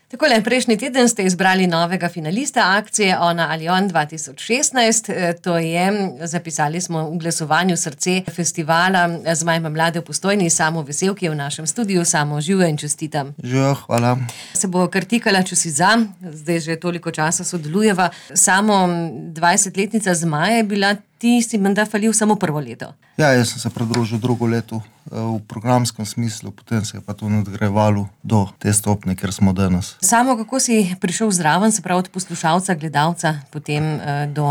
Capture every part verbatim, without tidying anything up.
Takole, prejšnji teden ste izbrali novega finalista akcije Ona ali on dva tisoč šestnajst. To je, zapisali smo v glasovanju srce festivala Zmaj ima mlade v Postojni, Samo Vesel, ki je v našem studiu. Samo živjo in čestitam. Živjo, hvala. Se bo kar tikala, če si za, zdaj že toliko časa sodelujeva. Samo dvajsetletnica Zmaja je bila, ti si menda falil samo prvo leto. Ja, jaz sem se pridružil drugo leto v programskem smislu, potem se je pa to nadgrajevalo do te stopnje, kjer smo danes. Samo kako si prišel zraven, se pravi od poslušalca, gledalca, potem do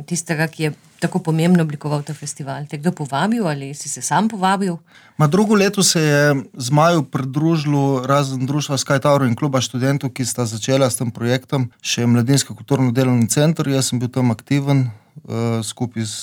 tistega, ki je tako pomembno oblikoval ta festival? Te kdo povabil ali si se sam povabil? Ma drugo leto se je Zmaju pridružilo razen društva Sky Tower in kluba študentov, ki sta začela s tem projektom, še Mladinski kulturno-delovni center. Jaz sem bil tam aktiven uh, skupaj z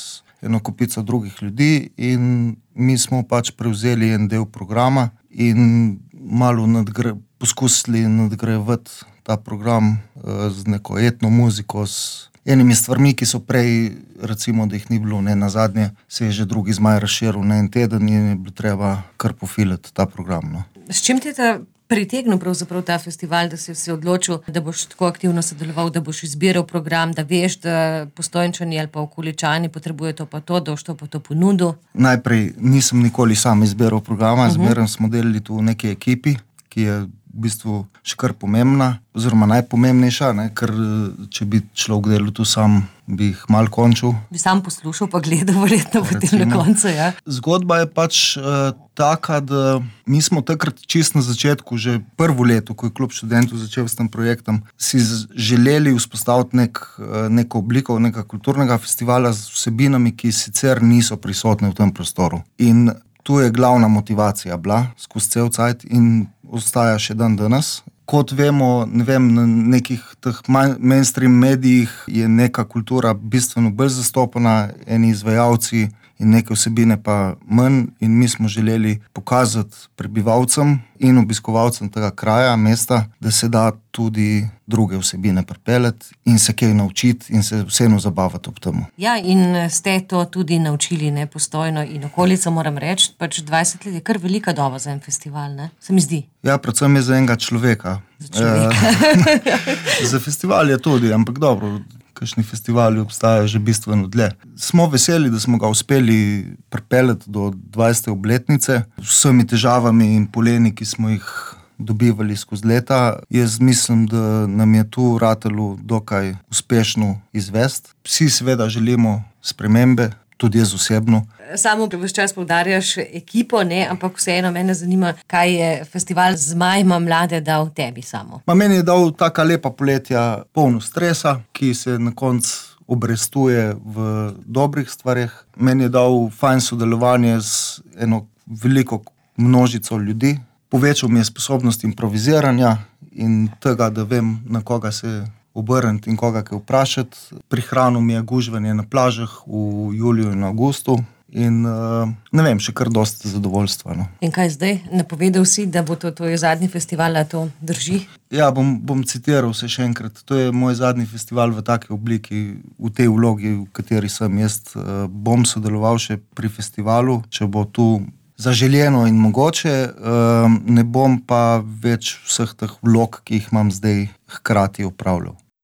eno kupico drugih ljudi in mi smo pač prevzeli en del programa in malo nadgre, poskusili nadgrajevati ta program uh, z neko etno muziko, s enimi stvarmi, ki so prej, recimo, da jih ni bilo, ne, nazadnje se je že drugi Zmaj razširil na en teden in je bilo treba kar pofilati ta program. No. S čim te ta pritegnil pravzaprav ta festival, da si se odločil, da boš tako aktivno sodeloval, da boš izbiral program, da veš, da Postojnčani ali pa okoličani potrebujejo to pa to, da boš to pa to ponudil? Najprej nisem nikoli sam izbiral programa, uh-huh. Zmeraj smo delali tu v neki ekipi, ki je v bistvu še kar pomembna, oziroma najpomembnejša, ne? Ker če bi človek delal tu sam, bi jih malo končil. Bi sam poslušal pa gledal verjetno potem na koncu, ja. Zgodba je pač uh, taka, da mi smo takrat čisto na začetku, že prvo leto, ko je klub študentov začel s tem projektom, si želeli vzpostaviti nek, uh, neko obliko nekega kulturnega festivala z vsebinami, ki sicer niso prisotne v tem prostoru. In tu je glavna motivacija bila skozi cel cajt in ostaja še dan danes. Kot vemo, ne vem, na nekih teh mainstream medijih je neka kultura bistveno bolj zastopana, eni izvajalci in neke vsebine pa manj, in mi smo želeli pokazati prebivalcem in obiskovalcem tega kraja, mesta, da se da tudi druge vsebine pripeljati in se kaj naučiti in se vseeno zabavati ob temu. Ja, in ste to tudi naučili, ne, Postojno in okolico, moram reči, pač dvajset let je kar velika doba za en festival, ne, se mi zdi. Ja, predvsem je za enega človeka. Za človeka. E, za festival je tudi, ampak dobro, kakšni festivali obstajajo že bistveno dlje. Smo veseli, da smo ga uspeli pripeljati do dvajsete obletnice, z vsemi težavami in poleni, ki smo jih dobivali skozi leta. Jaz mislim, da nam je tu ratalo dokaj uspešno izvesti. Vsi seveda želimo spremembe, tudi jaz osebno. Samo ves čas poudarjaš ekipo, ne, ampak vseeno mene zanima, kaj je festival Zmaj ima mlade dal tebi samo. Ma meni je dal taka lepa poletja, polno stresa, ki se na koncu obrestuje v dobrih stvareh. Meni je dal fajn sodelovanje z eno veliko množico ljudi. Povečal mi je sposobnost improviziranja in tega, da vem, na koga se obrniti in koga kaj vprašati. Prihranil mi je gužvanje na plažah v juliju in avgustu in ne vem, še kar dosti zadovoljstva. No. In kaj zdaj? Napovedal si, da bo to tvoj zadnji festival, a to drži? Ja, bom, bom citiral se še enkrat. To je moj zadnji festival v taki obliki, v tej vlogi, v kateri sem. Jaz bom sodeloval še pri festivalu, če bo tu zaželjeno in mogoče, ne bom pa več vseh teh vlog, ki jih imam zdaj, hkrati upravljal.